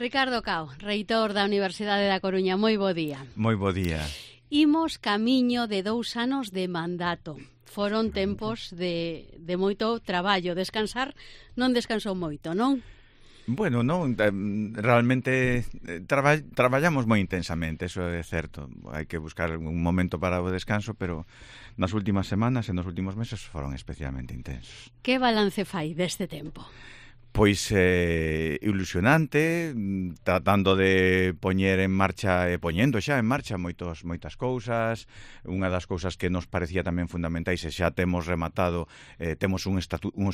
Ricardo Cao, reitor da Universidade da Coruña, moi bo día. Moi bo día. Imos camiño de 2 anos de mandato. Foron tempos de moito traballo. Descansar non descansou moito, non? Bueno, non, realmente traballamos moi intensamente, eso é certo. Hai que buscar un momento para o descanso, pero nas últimas semanas e nos últimos meses foron especialmente intensos. Que balance fai deste tempo? Pois ilusionante, tratando de poñer en marcha e poñendo xa en marcha moitas cousas. Unha das cousas que nos parecía tamén fundamentais e xa temos rematado, temos uns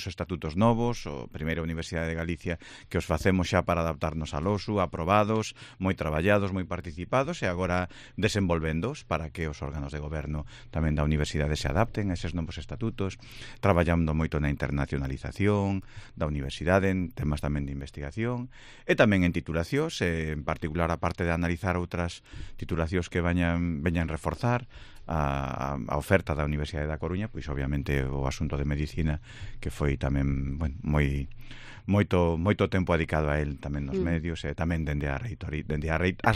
estatutos novos, o Primeira Universidade de Galicia, que os facemos xa para adaptarnos a LOSU, aprobados, moi traballados, moi participados, e agora desenvolvendos para que os órganos de goberno tamén da universidade se adapten a eses novos estatutos, traballando moito na internacionalización da universidade, en temas tamén de investigación e tamén en titulacións, en particular a parte de analizar outras titulacións que veñan reforzar a oferta da Universidade da Coruña, pois obviamente o asunto de medicina, que foi tamén moito tempo dedicado a él tamén nos medios e tamén dende as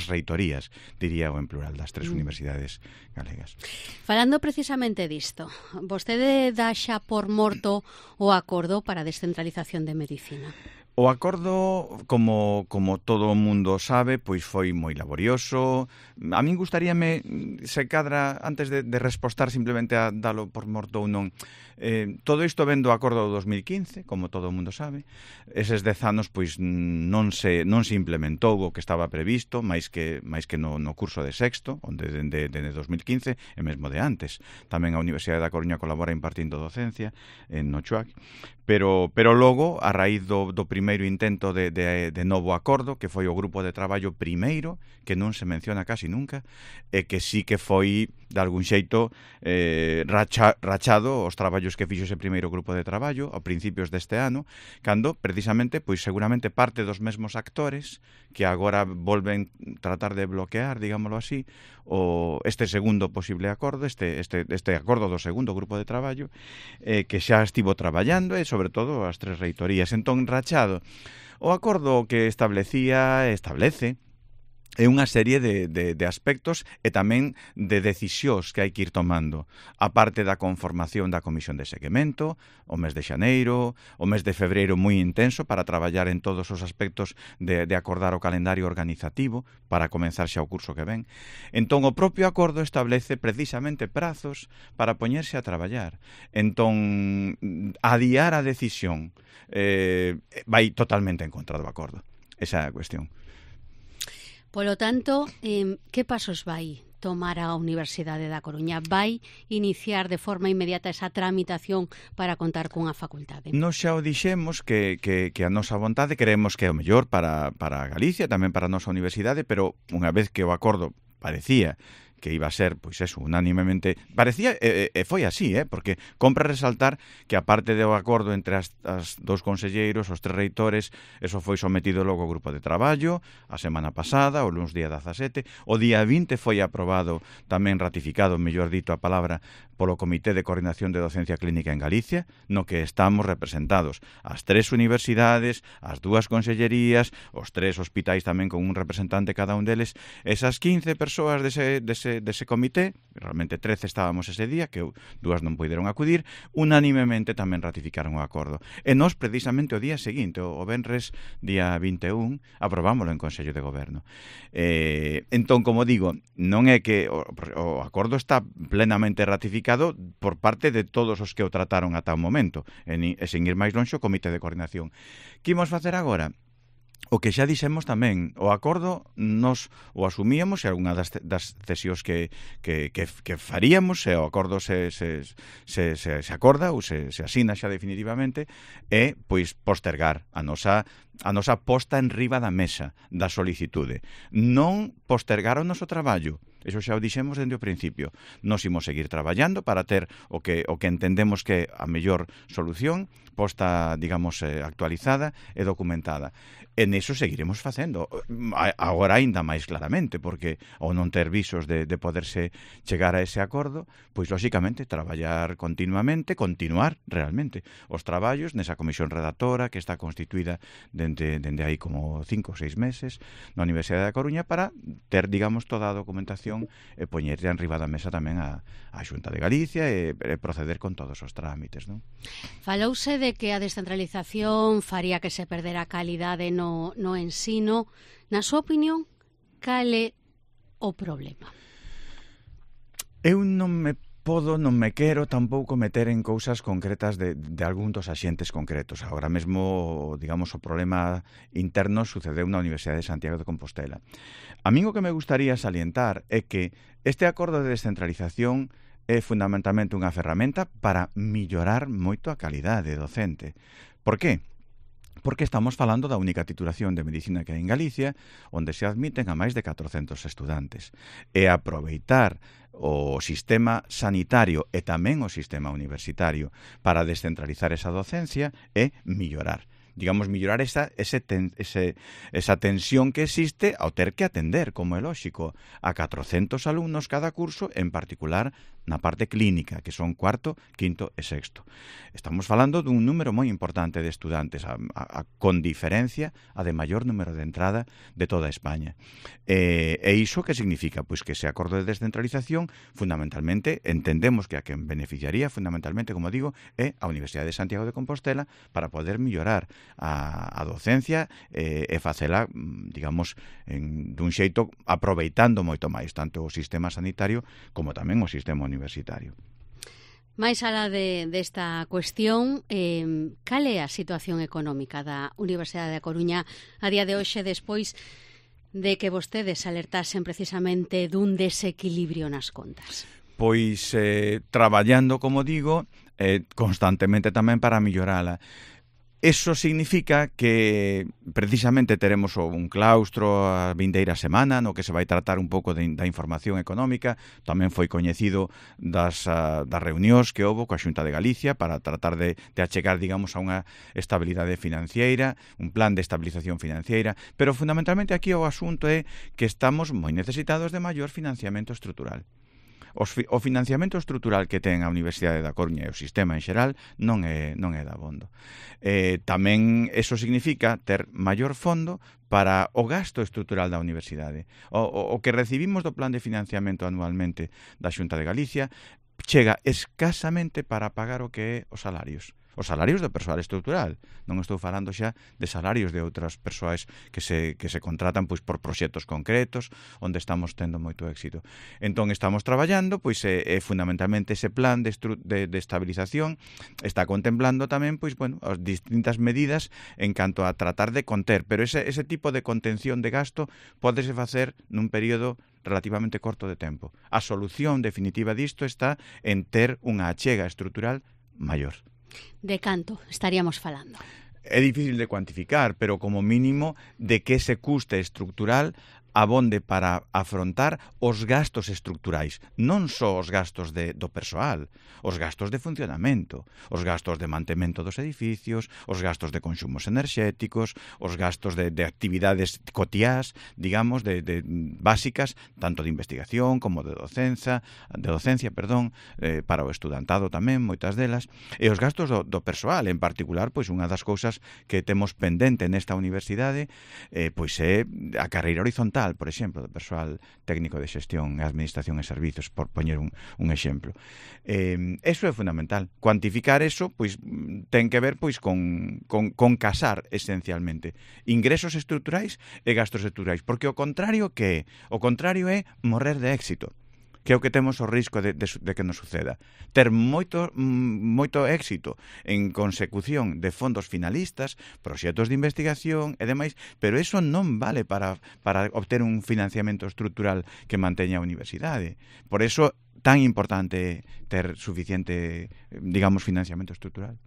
reitorías, diría, o en plural, das 3 universidades galegas. Falando precisamente disto, vostede dá xa por morto o acordo para a descentralización de medicina? O acordo, como todo o mundo sabe, pois foi moi laborioso. A min gustaríame, se cadra, antes de respostar simplemente a dalo por morto ou non, todo isto ven do acordo do 2015, como todo o mundo sabe. Eses 10 anos pois non se implementou o que estaba previsto, máis que no curso de sexto, onde dende 2015 e mesmo de antes. Tamén a Universidade da Coruña colabora impartindo docencia en Nochoac, pero logo, a raíz do primeiro intento de novo acordo, que foi o grupo de traballo primeiro, que non se menciona casi nunca, e que sí que foi, de algún xeito, rachado os traballos que fixo ese primeiro grupo de traballo a principios deste ano, cando, precisamente, pois seguramente parte dos mesmos actores que agora volven tratar de bloquear, digámoslo así, este segundo posible acordo, este acordo do segundo grupo de traballo, que xa estivo traballando, e sobre todo as 3 reitorías. Entón, rachado, o acordo que establece é unha serie de aspectos e tamén de decisións que hai que ir tomando, a parte da conformación da Comisión de Seguimento, o mes de xaneiro, o mes de febreiro moi intenso para traballar en todos os aspectos de acordar o calendario organizativo para comenzar xa o curso que ven. Entón, o propio acordo establece precisamente prazos para poñerse a traballar. Entón, adiar a decisión vai totalmente en contra do acordo. Esa é a cuestión. Polo tanto, que pasos vai tomar a Universidade da Coruña? Vai iniciar de forma inmediata esa tramitación para contar cunha facultade? Nos xa o dixemos que a nosa vontade creemos que é o mellor para Galicia, tamén para a nosa universidade, pero unha vez que o acordo parecía que iba a ser, pois eso, unánimemente, parecía, e foi así, porque compra resaltar que a parte do acordo entre as 2 conselleiros, os 3 reitores, eso foi sometido logo ao grupo de traballo a semana pasada, o luns día 17, o día 20 foi aprobado, tamén ratificado, mellor dito a palabra, polo Comité de Coordinación de Docencia Clínica en Galicia, no que estamos representados as 3 universidades, as 2 consellerías, os 3 hospitais tamén con un representante cada un deles, esas 15 persoas dese comité, realmente 13 estábamos ese día, que 2 non puideron acudir, unánimemente tamén ratificaron o acordo. E nós, precisamente, o día seguinte, o venres, día 21, aprobámoslo en Consello de Goberno. Entón, como digo, non é que o acordo está plenamente ratificado por parte de todos os que o trataron ata o momento, e sen ir máis lonxe, o Comité de Coordinación. Que imos facer agora? O que xa dixemos tamén, o acordo nos o asumíamos, e algunha das cesións que faríamos, se o acordo se acorda ou se asina xa definitivamente, é pois postergar a nosa posta en riba da mesa da solicitude. Non postergar o noso traballo. Eso xa o dixemos dende o principio. Nos imos seguir traballando para ter o que entendemos que é a mellor solución, posta, digamos, actualizada e documentada. E neso seguiremos facendo. Agora aínda máis claramente, porque ao non ter visos de poderse chegar a ese acordo, pois, lóxicamente, traballar continuamente, continuar realmente os traballos nesa comisión redactora que está constituída dende aí como 5 ou 6 meses na Universidade da Coruña para ter, digamos, toda a documentación e poñer enriba da mesa tamén a Xunta de Galicia e proceder con todos os trámites, non? Falouse de que a descentralización faría que se perdera a calidade no ensino. Na súa opinión, cal é o problema? Eu non me quero tampouco meter en cousas concretas de algún dos axentes concretos. Agora mesmo, digamos, o problema interno sucedeu na Universidade de Santiago de Compostela. A min o que me gustaría salientar é que este acordo de descentralización é fundamentalmente unha ferramenta para millorar moito a calidade docente. Por qué? Porque estamos falando da única titulación de medicina que hai en Galicia, onde se admiten a máis de 400 estudantes. E aproveitar o sistema sanitario e tamén o sistema universitario para descentralizar esa docencia e millorar. Digamos, millorar esa tensión que existe ao ter que atender, como é lóxico, a 400 alumnos cada curso, en particular na parte clínica, que son cuarto, quinto e sexto. Estamos falando dun número moi importante de estudantes, con diferencia a de maior número de entrada de toda España. E iso que significa? Pois que ese acordo de descentralización, fundamentalmente, entendemos que a quen beneficiaría, fundamentalmente, como digo, é a Universidade de Santiago de Compostela para poder millorar a docencia e facela, digamos, dun xeito aproveitando moito máis tanto o sistema sanitario como tamén o sistema universitario. Mais alá desta cuestión, cal é a situación económica da Universidade da Coruña a día de hoxe, despois de que vostedes alertasen precisamente dun desequilibrio nas contas? Pois traballando, como digo, constantemente tamén para millorala. Eso significa que precisamente teremos un claustro a vindeira semana no que se vai tratar un pouco da información económica. Tamén foi coñecido das reunións que houbo coa Xunta de Galicia para tratar de achegar, digamos, a unha estabilidade financiera, un plan de estabilización financiera, pero fundamentalmente aquí o asunto é que estamos moi necesitados de maior financiamento estrutural. O financiamento estrutural que ten a Universidade da Coruña e o sistema en xeral non é dabondo. Tamén eso significa ter maior fondo para o gasto estrutural da universidade. O que recibimos do plan de financiamento anualmente da Xunta de Galicia chega escasamente para pagar o que é os salarios do persoal estrutural. Non estou falando xa de salarios de outras persoas que se contratan pois por proxectos concretos onde estamos tendo moito éxito. Entón estamos traballando, pois fundamentalmente ese plan de estabilización está contemplando tamén pois bueno, as distintas medidas en canto a tratar de conter, pero ese tipo de contención de gasto pódese facer nun período relativamente corto de tempo. A solución definitiva disto está en ter unha achega estrutural maior. De canto estaríamos falando? É difícil de cuantificar, pero como mínimo de que ese custe estrutural abonde para afrontar os gastos estruturais, non só os gastos do persoal, os gastos de funcionamento, os gastos de mantemento dos edificios, os gastos de consumos enerxéticos, os gastos de actividades cotiás, digamos, de básicas, tanto de investigación como de docencia, para o estudantado tamén, moitas delas, e os gastos do persoal, en particular, pois unha das cousas que temos pendente nesta universidade, pois é a carreira horizontal, por exemplo, do persoal técnico de xestión e administración e servizos, por poñer un exemplo. Eso é fundamental. Cuantificar eso, pois, ten que ver pois con casar, esencialmente, ingresos estruturais e gastos estruturais, porque o contrario que é? O contrario é morrer de éxito, que é o que temos o risco de que nos suceda. Ter moito éxito en consecución de fondos finalistas, proxectos de investigación e demais, pero eso non vale para obter un financiamento estrutural que manteña a universidade. Por eso, tan importante ter suficiente, digamos, financiamento estrutural.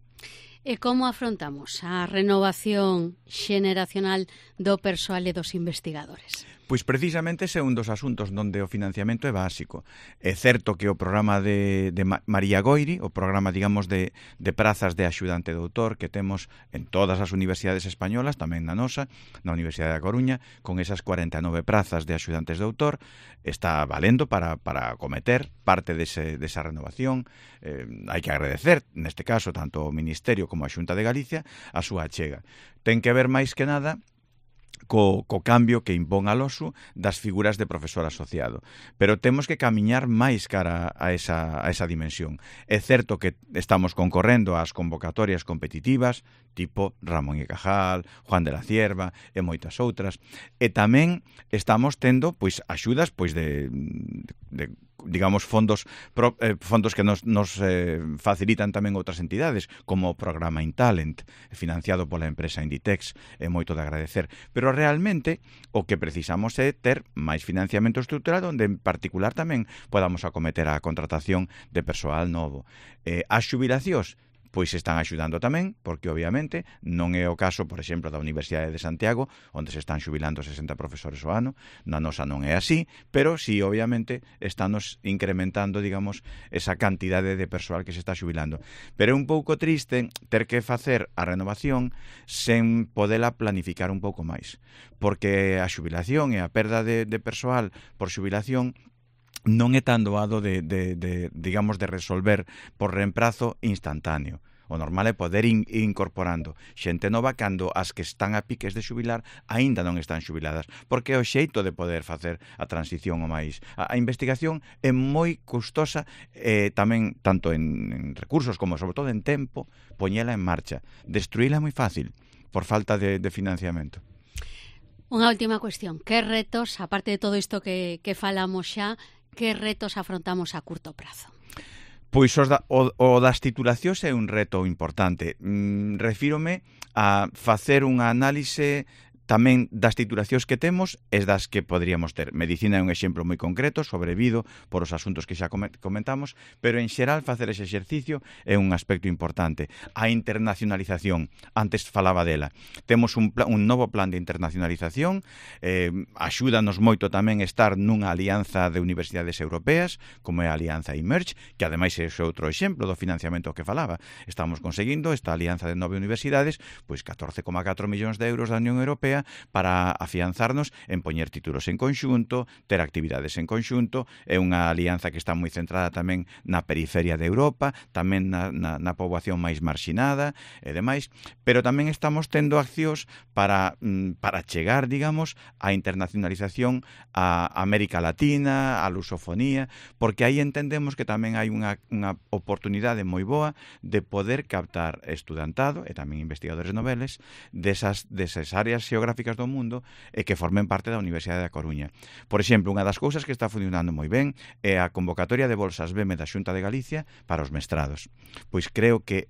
E como afrontamos a renovación xeneracional do persoal e dos investigadores? Pois precisamente ese é un dos asuntos onde o financiamento é básico. É certo que o programa de María Goiri, o programa, digamos, de prazas de axudante doutor que temos en todas as universidades españolas, tamén na nosa, na Universidade da Coruña, con esas 49 prazas de axudantes de doutor, está valendo para acometer parte desa renovación. Hai que agradecer, neste caso, tanto ao Ministerio como a Xunta de Galicia, a súa achega. Ten que ver máis que nada co cambio que impón a LOSU das figuras de profesor asociado. Pero temos que camiñar máis cara a esa dimensión. É certo que estamos concorrendo ás convocatorias competitivas, tipo Ramón y Cajal, Juan de la Cierva e moitas outras, e tamén estamos tendo pois axudas pois de digamos fondos que nos facilitan tamén outras entidades, como o programa InTalent, financiado pola empresa Inditex, é moito de agradecer. Pero realmente o que precisamos é ter máis financiamento estrutural onde en particular tamén podamos acometer a contratación de persoal novo. As xubilacións pois están axudando tamén, porque obviamente non é o caso, por exemplo, da Universidade de Santiago, onde se están xubilando 60 profesores ao ano, na nosa non é así, pero sí, obviamente, estános incrementando, digamos, esa cantidade de persoal que se está xubilando. Pero é un pouco triste ter que facer a renovación sen podela planificar un pouco máis, porque a xubilación e a perda de persoal por xubilación non é tan doado digamos, de resolver por reemprazo instantáneo. O normal é poder ir incorporando xente nova cando as que están a piques de xubilar aínda non están xubiladas, porque é o xeito de poder facer a transición o máis. A investigación é moi custosa, tamén tanto en recursos como sobre todo en tempo, poñela en marcha. Destruíla é moi fácil por falta de financiamento. Unha última cuestión. Que retos, aparte de todo isto que falamos xa, que retos afrontamos a curto prazo? Pois o das titulacións é un reto importante. Refírome a facer unha análise tamén das titulacións que temos e das que poderíamos ter. Medicina é un exemplo moi concreto, sobrevido por os asuntos que xa comentamos, pero en xeral facer ese exercicio é un aspecto importante. A internacionalización, antes falaba dela. Temos un novo plan de internacionalización, axúdanos moito tamén estar nunha alianza de universidades europeas, como é a Alianza Emerge, que ademais é outro exemplo do financiamento que falaba. Estamos conseguindo esta alianza de 9 universidades, pois 14,4 millóns de euros da Unión Europea para afianzarnos en poñer títulos en conxunto, ter actividades en conxunto. É unha alianza que está moi centrada tamén na periferia de Europa, tamén na poboación máis marxinada e demais, pero tamén estamos tendo accións para chegar, digamos, á internacionalización a América Latina, a lusofonía, porque aí entendemos que tamén hai unha oportunidade moi boa de poder captar estudantado e tamén investigadores noveles desas áreas geográficas do mundo e que formen parte da Universidade da Coruña. Por exemplo, unha das cousas que está funcionando moi ben é a convocatoria de bolsas BEME da Xunta de Galicia para os mestrados. Pois creo que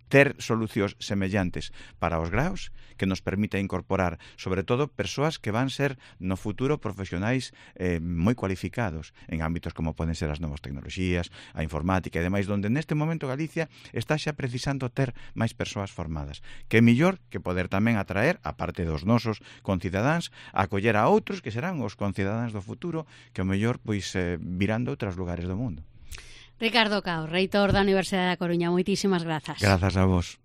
ter solucións semellantes para os graus que nos permita incorporar, sobre todo, persoas que van ser no futuro profesionais moi cualificados en ámbitos como poden ser as novas tecnoloxías, a informática e demais, donde neste momento Galicia está xa precisando ter máis persoas formadas. Que é millor que poder tamén atraer, a parte dos nosos concidadáns, a acoller a outros que serán os concidadáns do futuro, que o mellor pois virán de outros lugares do mundo. Ricardo Cao, reitor da Universidade da Coruña, moitísimas grazas. Grazas a vos.